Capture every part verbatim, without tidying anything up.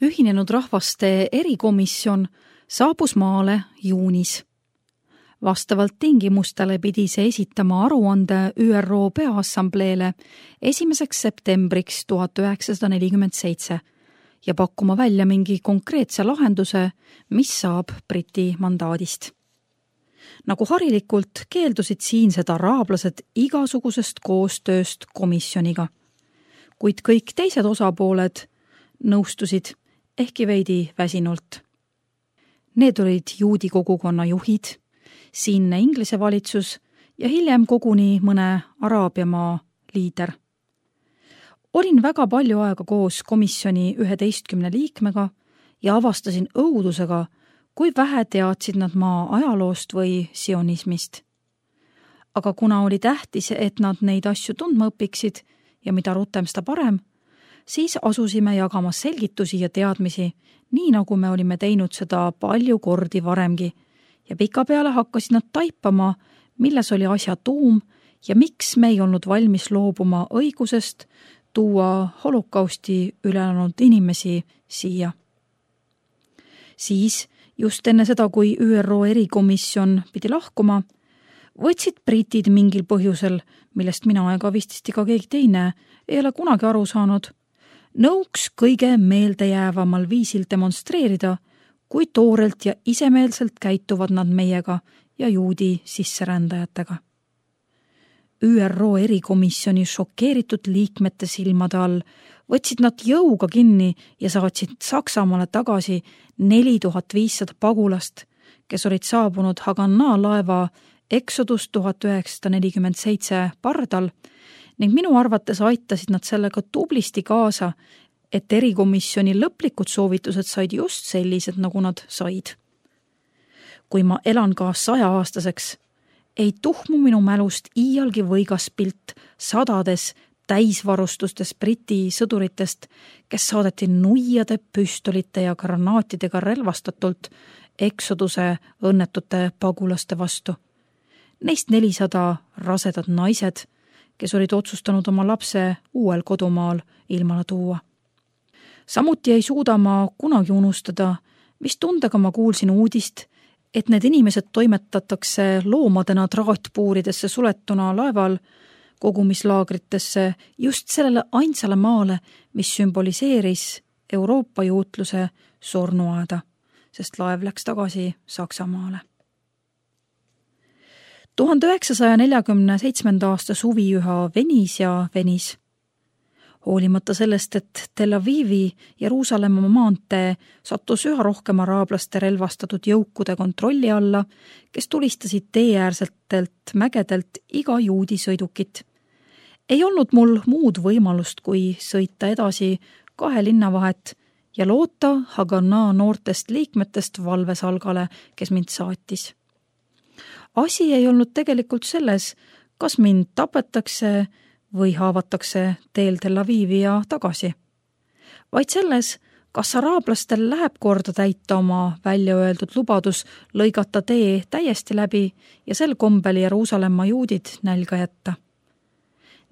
Ühinenud rahvaste erikomisjon saabus maale juunis. Vastavalt tingimustele pidi see esitama aruande Ü R O Peaassambleele esimeseks septembriks tuhat üheksasada nelikümmend seitse ja pakkuma välja mingi konkreetse lahenduse, mis saab Briti mandaadist. Nagu harilikult keeldusid siinsed araablased igasugusest koostööst komisjoniga, kuid kõik teised osapooled nõustusid ehkki veidi väsinult. Need olid juudi kogukonna juhid, siinne Inglise valitsus ja hiljem koguni mõne Araabiamaa liider. Olin väga palju aega koos komisjoni üheteistkümne liikmega ja avastasin õudusega, kui vähe teadsid nad maa ajaloost või sionismist. Aga kuna oli tähtis, et nad neid asju tundma õpiksid ja mida rutem seda parem, siis asusime jagama selgitusi ja teadmisi, nii nagu me olime teinud seda palju kordi varemgi ja pikapeale hakkasid nad taipama, milles oli asja tuum ja miks me ei olnud valmis loobuma õigusest tuua holokausti ülelanud inimesi siia. Siis, just enne seda, kui Ü R O erikomisjon pidi lahkuma, võtsid britid mingil põhjusel, millest mina ega vististi ka keegi teine ei ole kunagi aru saanud, nõuks kõige meeldejäävamal viisil demonstreerida, kui toorelt ja isemeelselt käituvad nad meiega ja juudi sisserändajatega. Ü R O erikomisjoni šokeeritud liikmete silmade all võtsid nad jõuga kinni ja saatsid Saksamaale tagasi neli tuhat viissada pagulast, kes olid saabunud Haganah laeva Exodus tuhat üheksasada nelikümmend seitse pardal ning minu arvates aitasid nad sellega tublisti kaasa, et erikomisjoni lõplikud soovitused said just sellised, nagu nad said. Kui ma elan ka sajaaastaseks, ei tuhmu minu mälust iialgi võigas pilt sadades täisvarustustes Briti sõduritest, kes saadeti nuiade, püstolite ja granaatidega relvastatult Exoduse õnnetute pagulaste vastu. Neist nelisada rasedad naised, kes olid otsustanud oma lapse uuel kodumaal ilmale tuua. Samuti ei suuda ma kunagi unustada, mis tundega ma kuulsin uudist, et need inimesed toimetatakse loomadena traatpuuridesse suletuna laeval kogumislaagritesse just sellele ainsale maale, mis sümboliseeris Euroopa juutluse surnuaeda, sest laev läks tagasi Saksamaale. tuhande üheksasaja neljakümne seitsmenda aasta suvi üha venis ja venis. Hoolimata sellest, et Tel Avivi Jeruusalemma maantee sattus üha rohkem araablaste relvastatud jõukude kontrolli alla, kes tulistasid teeäärsetelt mägedelt iga juudi sõidukit. Ei olnud mul muud võimalust, kui sõita edasi kahe linnavahet ja loota Haganah noortest liikmetest valvesalgale, kes mind saatis. Asi ei olnud tegelikult selles, kas mind tapetakse või haavatakse teel Tel Avivi ja tagasi, vaid selles, kas araablastel läheb korda täita oma välja öeldud lubadus lõigata tee täiesti läbi ja sel kombel Jeruusalemma juudid nälga jätta.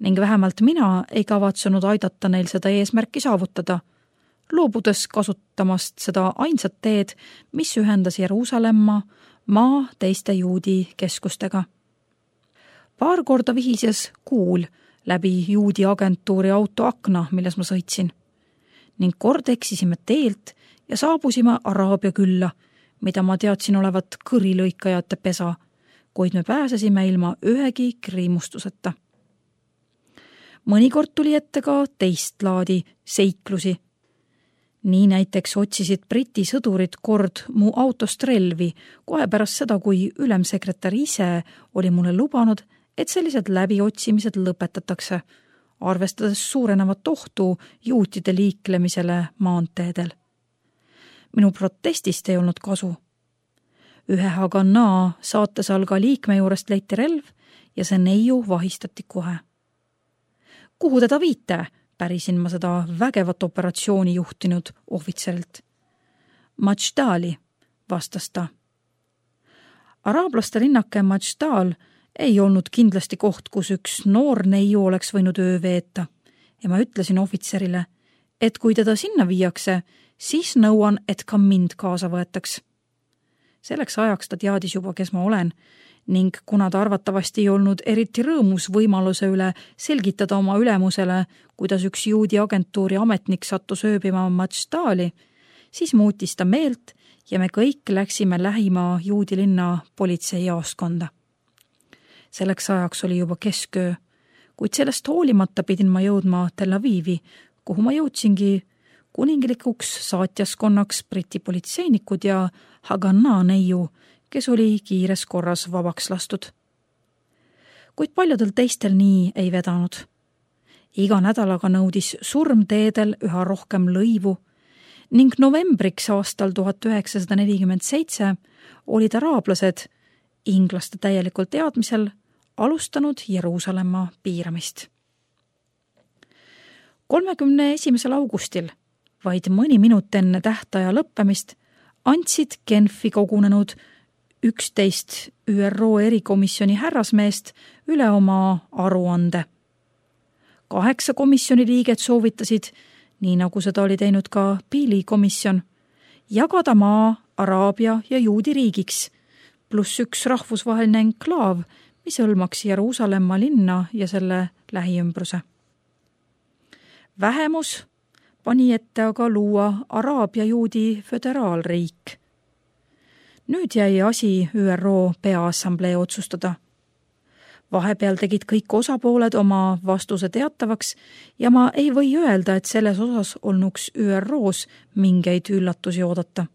Ning vähemalt mina ei kavatsenud aidata neil seda eesmärki saavutada, loobudes kasutamast seda ainsat teed, mis ühendas Jeruusalemma maa teiste juudi keskustega. Paar korda vihises kuul läbi juudi agentuuri auto akna, milles ma sõitsin, ning kord eksisime teelt ja saabusime Araabia külla, mida ma teadsin olevat kõrilõikajate pesa, kuid me pääsesime ilma ühegi kriimustuseta. Mõnikord tuli ette ka teist laadi seiklusi. Nii näiteks otsisid Briti sõdurid kord mu autost relvi kohe pärast seda, kui ülemsekretär ise oli mulle lubanud, et sellised läbiotsimised lõpetatakse, arvestades suurenevat ohtu juutide liiklemisele maanteedel. Minu protestist ei olnud kasu. Ühe Haganah saatesalga liikme juurest leiti relv ja see neiu vahistati kohe. Kuhu teda viite? Pärisin ma seda vägevat operatsiooni juhtinud ohvitserilt. Majdali, vastas ta. Araablaste linnake Majdal ei olnud kindlasti koht, kus üks noor neiu oleks võinud öö veeta ja ma ütlesin ohvitserile, et kui teda sinna viiakse, siis nõuan, et ka mind kaasa võetaks. Selleks ajaks ta teadis juba, kes ma olen, ning kuna ta arvatavasti ei olnud eriti rõõmus võimaluse üle selgitada oma ülemusele, kuidas üks juudi agentuuri ametnik sattus ööbima Matštaali, siis muutis ta meelt ja me kõik läksime lähima juudi linna politseijaoskonda. Selleks ajaks oli juba kesköö, kuid sellest hoolimata pidin ma jõudma Tel Avivi, kuhu ma jõudsingi kuninglikuks saatjaskonnaks Briti politseinikud ja Haganah neiu, kes oli kiires korras vabaks lastud. Kuid paljudel teistel nii ei vedanud. Iga nädalaga nõudis surm teedel üha rohkem lõivu ning novembriks aastal tuhat üheksasada nelikümmend seitse olid araablased inglaste täielikul teadmisel alustanud Jeruusalemma piiramist. kolmekümne esimesel augustil, vaid mõni minut enne tähtaja lõppemist, andsid Genfi kogunenud üksteist Ü R O erikomisjoni härrasmeest üle oma aruande. Kaheksa komisjoni liiget soovitasid, nii nagu seda oli teinud ka Pili komisjon, jagada maa Araabia ja juudi riigiks, pluss üks rahvusvaheline enklaav, mis hõlmaks Jeruusalemma linna ja selle lähiümbruse. Vähemus pani ette aga luua Araabia juudi föderaalriik. Nüüd jäi asi Ü R O peaassamblee otsustada. Vahepeal tegid kõik osapooled oma vastuse teatavaks ja ma ei või öelda, et selles osas olnuks Ü R O's mingeid üllatusi oodata.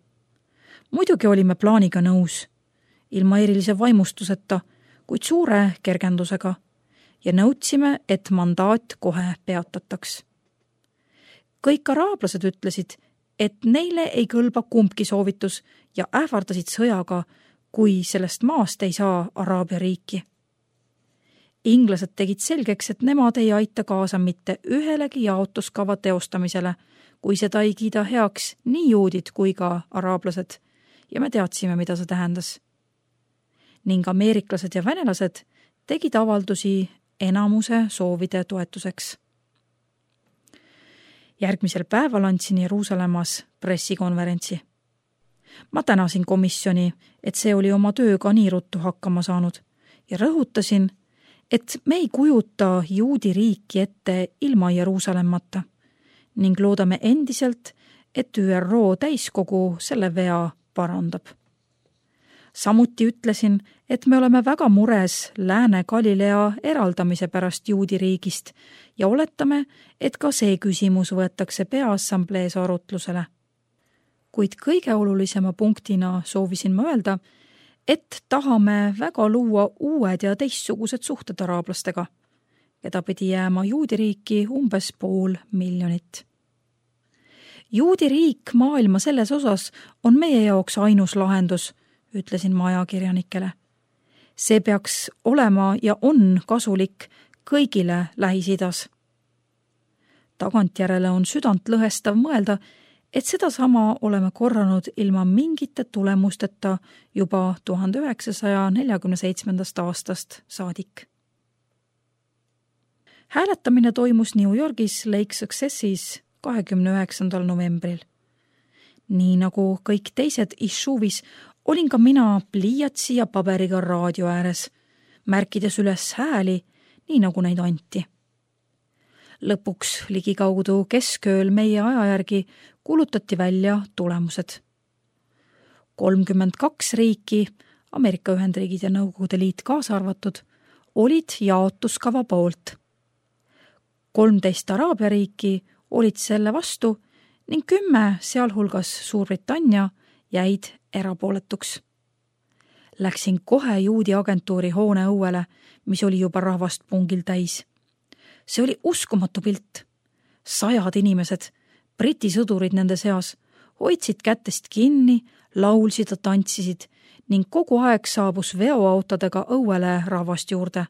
Muidugi olime plaaniga nõus, ilma erilise vaimustuseta, kuid suure kergendusega ja nõudsime, et mandaat kohe peatataks. Kõik araablased ütlesid, et neile ei kõlba kumbki soovitus ja ähvardasid sõjaga, kui sellest maast ei saa Araabia riiki. Inglased tegid selgeks, et nemad ei aita kaasa mitte ühelegi jaotuskava teostamisele, kui seda ei kiida heaks nii juudid kui ka araablased ja me teadsime, mida see tähendas. Ning ameeriklased ja venelased tegid avaldusi enamuse soovide toetuseks. Järgmisel päeval andsin Jeruusalemmas pressikonverentsi. Ma tänasin komisjoni, et see oli oma tööga nii ruttu hakkama saanud ja rõhutasin, et me ei kujuta juudi riiki ette ilma Jeruusalemmata ning loodame endiselt, et Ü R O täiskogu selle vea parandab. Samuti ütlesin, et me oleme väga mures Lääne-Galilea eraldamise pärast juudi riigist ja oletame, et ka see küsimus võetakse peaassamblees arutlusele. Kuid kõige olulisema punktina soovisin ma öelda, et tahame väga luua uued ja teistsugused suhted araablastega, keda pidi jääma juudi riiki umbes pool miljonit. Juudi riik maailma selles osas on meie jaoks ainus lahendus, ütlesin ma ajakirjanikele. See peaks olema ja on kasulik kõigile Lähis-Idas. Tagantjärele on südant lõhestav mõelda, et seda sama oleme korranud ilma mingite tulemusteta juba tuhande üheksasaja neljakümne seitsmendast aastast saadik. Hääletamine toimus New Yorgis Lake Successis kahekümne üheksandal novembril. Nii nagu kõik teised Ishuvis olin ka mina pliiatsi ja paberiga raadio ääres, märkides üles hääli, nii nagu neid anti. Lõpuks ligikaudu keskööl meie ajajärgi kuulutati välja tulemused. kolmkümmend kaks riiki, Ameerika Ühendriigid ja Nõukogude Liit kaasa arvatud, olid jaotuskava poolt. kolmteist Araabia riiki olid selle vastu ning kümme, sealhulgas Suurbritannia, jäid erapooletuks. Läksin kohe juudi agentuuri hoone õuele, mis oli juba rahvast pungil täis. See oli uskumatu pilt. Sajad inimesed, briti sõdurid nende seas, hoidsid kätest kinni, laulsid ja tantsisid ning kogu aeg saabus veoautodega õuele rahvast juurde.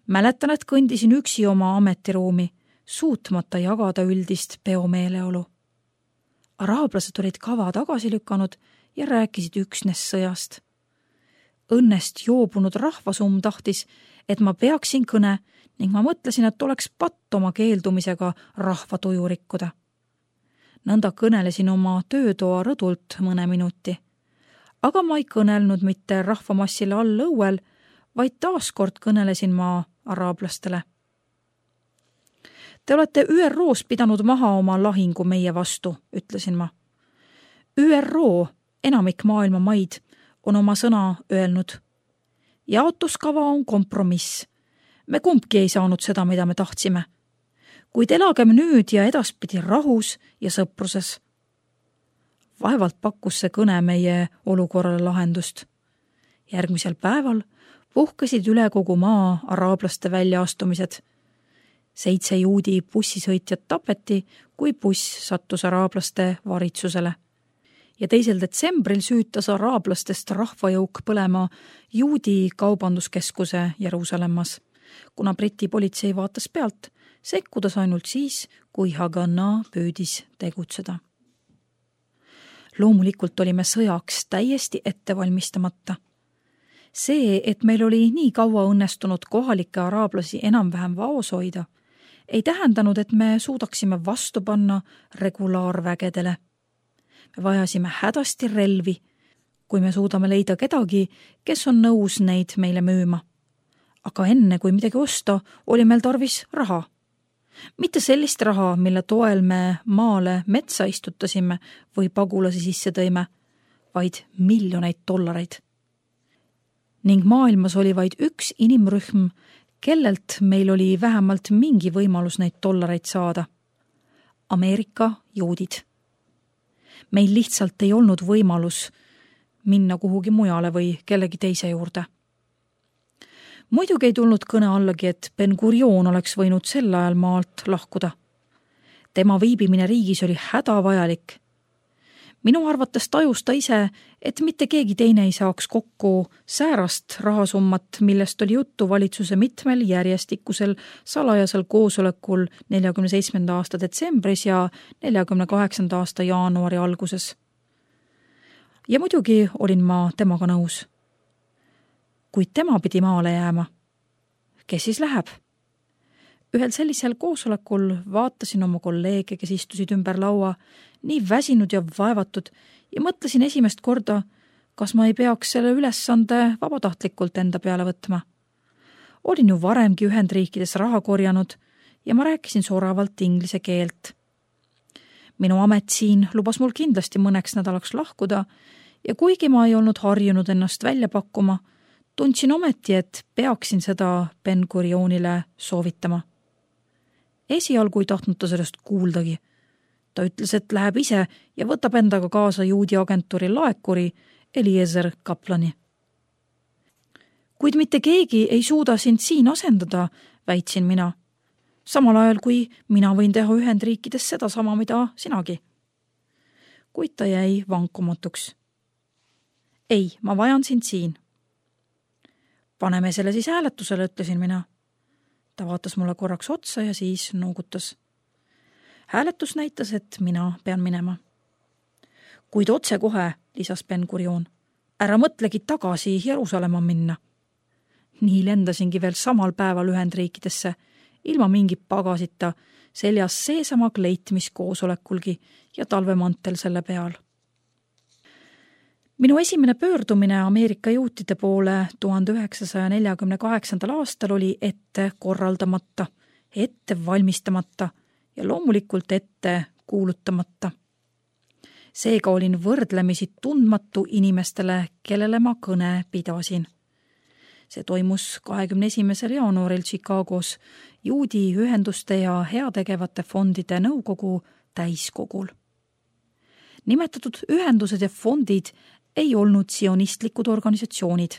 Mäletan, et kõndisin üksi oma ametiruumi, suutmata jagada üldist peomeeleolu. Araablased olid kava tagasi lükanud ja rääkisid üksnes sõjast. Õnnest joobunud rahvasumm tahtis, et ma peaksin kõne ning ma mõtlesin, et oleks patt oma keeldumisega rahva tuju rikkuda. nõnda kõnelesin oma töötoa rõdult mõne minuti. Aga ma ei kõnelnud mitte rahvamassile all õuel, vaid taaskord kõnelesin ma araablastele. Te olete Ü R O-s pidanud maha oma lahingu meie vastu, ütlesin ma. Ü R O, enamik maailma maid, on oma sõna öelnud. Jaotuskava on kompromiss. Me kumbki ei saanud seda, mida me tahtsime. Kuid elagem nüüd ja edaspidi rahus ja sõpruses. Vaevalt pakkus see kõne meie olukorrale lahendust. Järgmisel päeval puhkesid üle kogu maa araablaste väljaastumised. Seitse juudi bussisõitjat tapeti, kui buss sattus araablaste varitsusele. Ja teisel detsembril süütas araablastest rahvajõuk põlema juudi kaubanduskeskuse Jeruusalemmas, kuna Briti politsei vaatas pealt, sekkudes ainult siis, kui Haganah püüdis tegutseda. Loomulikult olime sõjaks täiesti ettevalmistamata. See, et meil oli nii kaua õnnestunud kohalikke araablasi enam-vähem vaos hoida, ei tähendanud, et me suudaksime vastu panna regulaarvägedele. Me vajasime hädasti relvi, kui me suudame leida kedagi, kes on nõus neid meile müüma. Aga enne, kui midagi osta, oli meil tarvis raha. Mitte sellist raha, mille toel me maale metsa istutasime või pagulasi sisse tõime, vaid miljoneid dollareid. Ning maailmas oli vaid üks inimrühm, kellelt meil oli vähemalt mingi võimalus neid dollareid saada. Ameerika juudid. Meil lihtsalt ei olnud võimalus minna kuhugi mujale või kellegi teise juurde. Muidugi ei tulnud kõne allagi, et Ben Gurion oleks võinud sel ajal maalt lahkuda. Tema viibimine riigis oli hädavajalik. Minu arvates tajus ta ise, et mitte keegi teine ei saaks kokku säärast rahasummat, millest oli juttu valitsuse mitmel järjestikusel salajasel koosolekul neljakümne seitsmenda aasta detsembris ja neljakümne kaheksanda aasta jaanuari alguses. Ja muidugi olin ma temaga nõus. Kuid tema pidi maale jääma. Kes siis läheb? Ühel sellisel koosolekul vaatasin oma kolleege, kes istusid ümber laua, nii väsinud ja vaevatud ja mõtlesin esimest korda, kas ma ei peaks selle ülesande vabatahtlikult enda peale võtma. Olin ju varemgi Ühendriikides raha korjanud ja ma rääkisin soravalt inglise keelt. Minu amet siin lubas mul kindlasti mõneks nädalaks lahkuda ja kuigi ma ei olnud harjunud ennast välja pakkuma, tundsin ometi, et peaksin seda Ben Gurionile soovitama. Esialgu ei tahtnud ta sellest kuuldagi. Ta ütles, et läheb ise ja võtab endaga kaasa juudi agentuuri laekuri Eliezer Kaplani. Kuid mitte keegi ei suuda sind siin asendada, väitsin mina. Samal ajal, kui mina võin teha Ühendriikides seda sama, mida sinagi. Kuid ta jäi vankumatuks. Ei, ma vajan sind siin. Paneme selle siis hääletusele, ütlesin mina. Ta vaatas mulle korraks otsa ja siis noogutas. Hääletus näitas, et mina pean minema. Kuid otse kohe, lisas Ben Gurion, ära mõtlegi tagasi Jeruusalemma minna. Nii lendasingi veel samal päeval Ühendriikidesse, ilma mingi pagasita, seljas seesama kleit, mis koosolekulgi ja talvemantel selle peal. Minu esimene pöördumine Ameerika juutide poole tuhande üheksasaja neljakümne kaheksandal aastal oli ette korraldamata, ette valmistamata ja loomulikult ette kuulutamata. Seega olin võrdlemisi tundmatu inimestele, kellele ma kõne pidasin. See toimus kahekümne esimesel jaanuaril Chicagos juudi ühenduste ja heategevate fondide nõukogu täiskogul. Nimetatud ühendused ja fondid ei olnud sionistlikud organisatsioonid.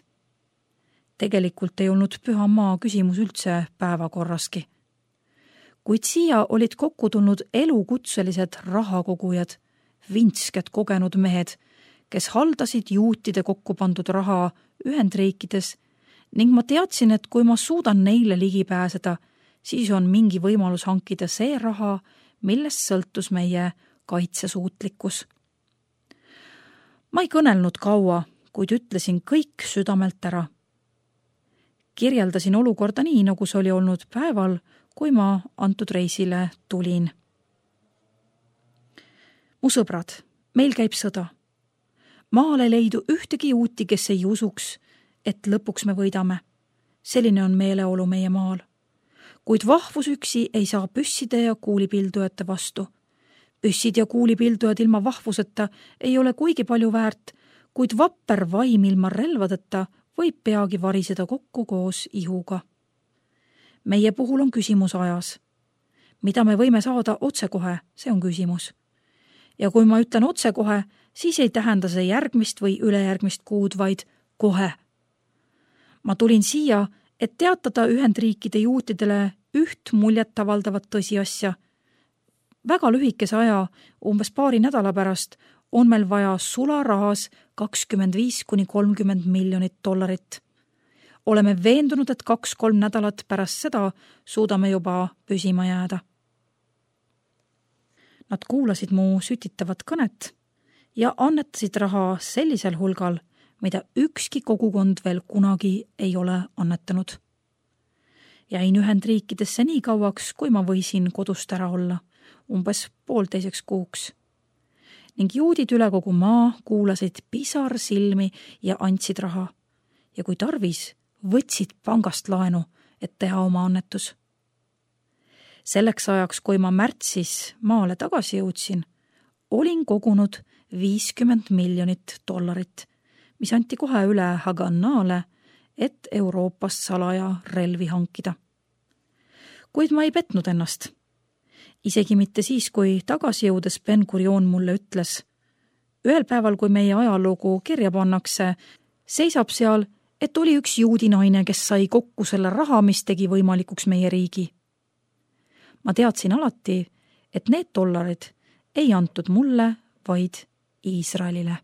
Tegelikult ei olnud püha maa küsimus üldse päevakorraski. Kuid siia olid kokku tulnud elukutselised rahakogujad, vintsked kogenud mehed, kes haldasid juutide kokku pandud raha Ühendriikides ning ma teadsin, et kui ma suudan neile ligi pääseda, siis on mingi võimalus hankida see raha, millest sõltus meie kaitsesuutlikkus. Ma ei kõnelnud kaua, kuid ütlesin kõik südamelt ära. Kirjeldasin olukorda nii, nagu see oli olnud päeval, kui ma antud reisile tulin. Mu sõbrad, meil käib sõda. Maal ei leidu ühtegi juuti, kes ei usuks, et lõpuks me võidame. Selline on meeleolu meie maal. Kuid vahvus üksi ei saa püsside ja kuulipildujate vastu. Püssid ja kuulipildujad ilma vahvuseta ei ole kuigi palju väärt, kuid vapper vaim ilma relvadeta võib peagi variseda kokku koos ihuga. Meie puhul on küsimus ajas. Mida me võime saada otsekohe, see on küsimus. Ja kui ma ütlen otsekohe, siis ei tähenda see järgmist või ülejärgmist kuud, vaid kohe. Ma tulin siia, et teatada Ühendriikide juutidele üht muljet avaldavat tõsiasja. Väga lühikese aja, umbes paari nädala pärast, on meil vaja sularahas kakskümmend viis kuni kolmkümmend miljonit dollarit. Oleme veendunud, et kaks-kolm nädalat pärast seda suudame juba püsima jääda. Nad kuulasid mu sütitavat kõnet ja annetasid raha sellisel hulgal, mida ükski kogukond veel kunagi ei ole annetanud. Jäin Ühendriikidesse nii kauaks, kui ma võisin kodust ära olla, umbes poolteiseks kuuks. Ning juudid üle kogu maa kuulasid pisar silmi ja andsid raha. Ja kui tarvis, võtsid pangast laenu, et teha oma annetus. Selleks ajaks, kui ma märtsis maale tagasi jõudsin, olin kogunud viiskümmend miljonit dollarit, mis anti kohe üle Hagannaale, et Euroopast salaja relvi hankida. Kuid ma ei petnud ennast. Isegi mitte siis, kui tagasi jõudes Ben Gurion mulle ütles. Ühel päeval, kui meie ajalugu kirja pannakse, seisab seal, et oli üks juudi naine, kes sai kokku selle raha, mis tegi võimalikuks meie riigi. Ma teadsin alati, et need dollarid ei antud mulle, vaid Iisraelile.